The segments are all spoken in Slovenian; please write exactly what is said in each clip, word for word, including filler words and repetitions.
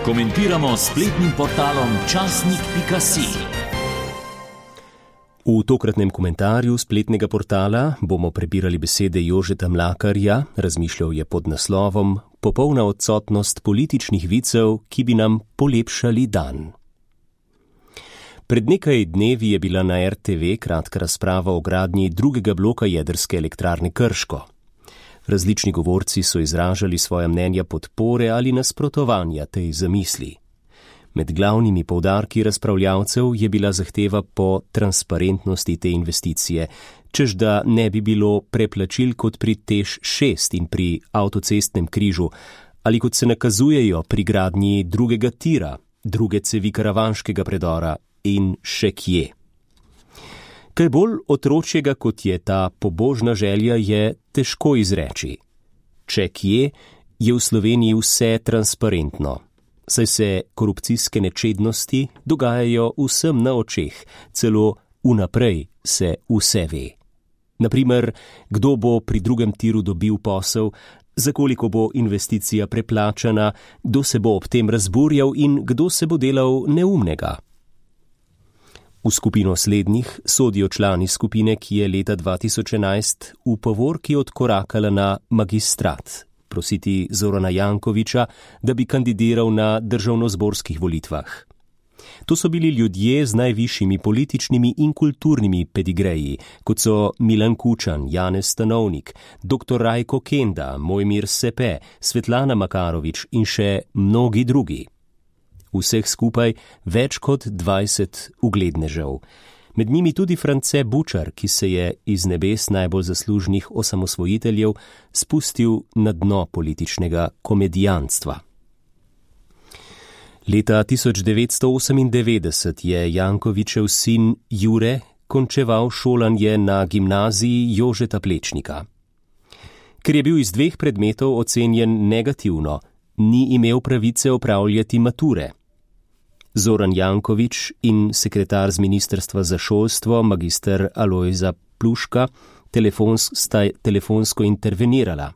Komentiramo s spletnim portalom časnik pika si. V tokratnem komentarju spletnega portala bomo prebirali besede Jožeta Mlakarja, razmišljal je pod naslovom Popolna odsotnost političnih vicev, ki bi nam polepšali dan. Pred nekaj dnevi je bila na er te ve kratka razprava o gradnji drugega bloka jedrske elektrarne Krško. Različni govorci so izražali svoja mnenja podpore ali nasprotovanja tej zamisli. Med glavnimi poudarki razpravljavcev je bila zahteva po transparentnosti te investicije, čež da ne bi bilo preplačil kot pri Teš šest in pri avtocestnem križu, ali kot se nakazujejo pri gradnji drugega tira, druge cevi karavanškega predora in še kje. Kaj bolj otročjega, kot je ta pobožna želja, je težko izreči. Če kje, je v Sloveniji vse transparentno, saj se korupcijske nečednosti dogajajo vsem na očeh, celo vnaprej se vse ve. Naprimer, kdo bo pri drugem tiru dobil posel, za koliko bo investicija preplačana, kdo se bo ob tem razburjal in kdo se bo delal neumnega. V skupino slednjih sodijo člani skupine, ki je leta dva tisoč enajst v povorki odkorakala na magistrat, prositi Zorana Jankovića, da bi kandidiral na državnozborskih volitvah. To so bili ljudje z najvišjimi političnimi in kulturnimi pedigreji, kot so Milan Kučan, Janez Stanovnik, doktor Rajko Kenda, Mojmir Sepe, Svetlana Makarovič in še mnogi drugi. Vseh skupaj več kot dvajset uglednežev. Med njimi tudi France Bučar, ki se je iz nebes najbolj zaslužnih osamosvojiteljev spustil na dno političnega komedijanstva. Leta tisoč devetsto osemindevetdeset je Jankovićev sin Jure končeval šolanje na gimnaziji Jožeta Plečnika. Ker je bil iz dveh predmetov ocenjen negativno, ni imel pravice opravljati mature. Zoran Janković in sekretar z ministrstva za šolstvo, magister Alojza Pluška, telefons, sta telefonsko intervenirala.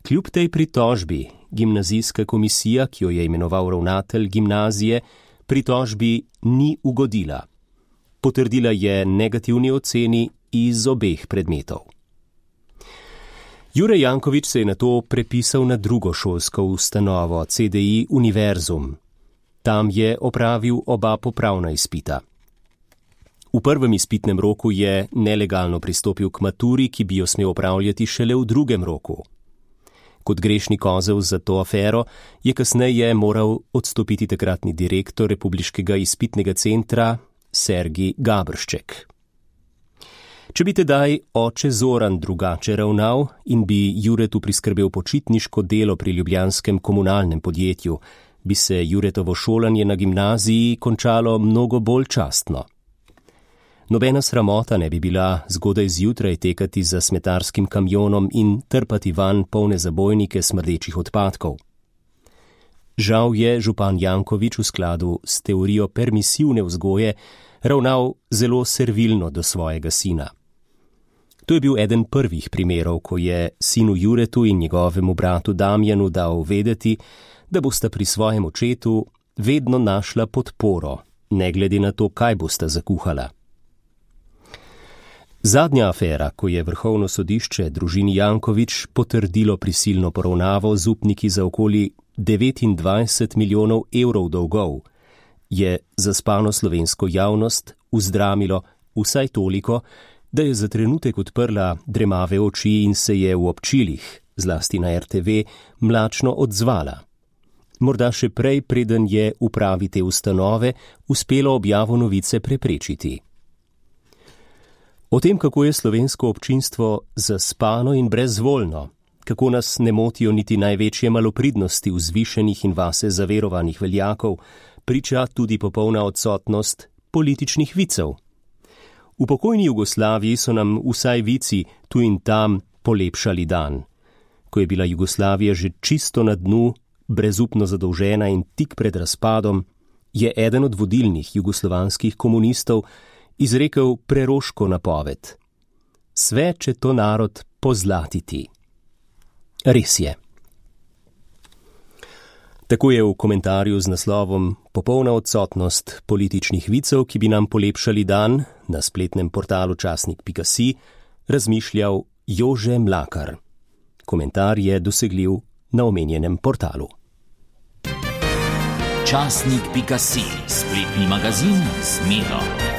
Kljub tej pritožbi, gimnazijska komisija, ki jo je imenoval ravnatelj gimnazije, pritožbi ni ugodila. Potrdila je negativni oceni iz obeh predmetov. Jure Janković se je nato prepisal na drugo šolsko ustanovo, C D I Univerzum. Tam je opravil oba popravna izpita. V prvem izpitnem roku je nelegalno pristopil k maturi, ki bi jo smel opravljati šele v drugem roku. Kot grešni kozel za to afero je kasneje moral odstopiti takratni direktor Republiškega izpitnega centra Sergij Gabršček. Če bi tedaj oče Zoran drugače ravnal in bi Juretu priskrbel počitniško delo pri ljubljanskem komunalnem podjetju, bi se Juretovo šolanje na gimnaziji končalo mnogo bolj častno. Nobena sramota ne bi bila zgodaj zjutraj tekati za smetarskim kamionom in trpati van polne zabojnike smrdečih odpadkov. Žal je župan Janković v skladu s teorijo permisivne vzgoje ravnal zelo servilno do svojega sina. To je bil eden prvih primerov, ko je sinu Juretu in njegovemu bratu Damjanu dal vedeti, da bosta pri svojem očetu vedno našla podporo, ne glede na to, kaj bosta zakuhala. Zadnja afera, ko je Vrhovno sodišče družini Janković potrdilo prisilno poravnavo z upniki za okoli devetindvajset milijonov evrov dolgov, je zaspano slovensko javnost vzdramilo vsaj toliko, da je za trenutek odprla dremave oči in se je v občilih, zlasti na er te ve, mlačno odzvala. Morda še prej, preden je upravi te ustanove uspelo objavo novice preprečiti. O tem, kako je slovensko občinstvo zaspano in brezvoljno, kako nas ne motijo niti največje malopridnosti vzvišenih in vase zaverovanih veljakov, priča tudi popolna odsotnost političnih vicev. V pokojni Jugoslaviji so nam vsaj vici tu in tam polepšali dan. Ko je bila Jugoslavija že čisto na dnu, brezupno zadolžena in tik pred razpadom, je eden od vodilnih jugoslovanskih komunistov izrekel preroško napoved. Sve će to narod pozlatiti. Res je. Tako je v komentarju z naslovom Popolna odsotnost političnih vicev, ki bi nam polepšali dan, na spletnem portalu časnik pika si razmišljal Jože Mlakar. Komentar je dosegljiv na omenjenem portalu. časnik pika si, spletni magazin z Miro.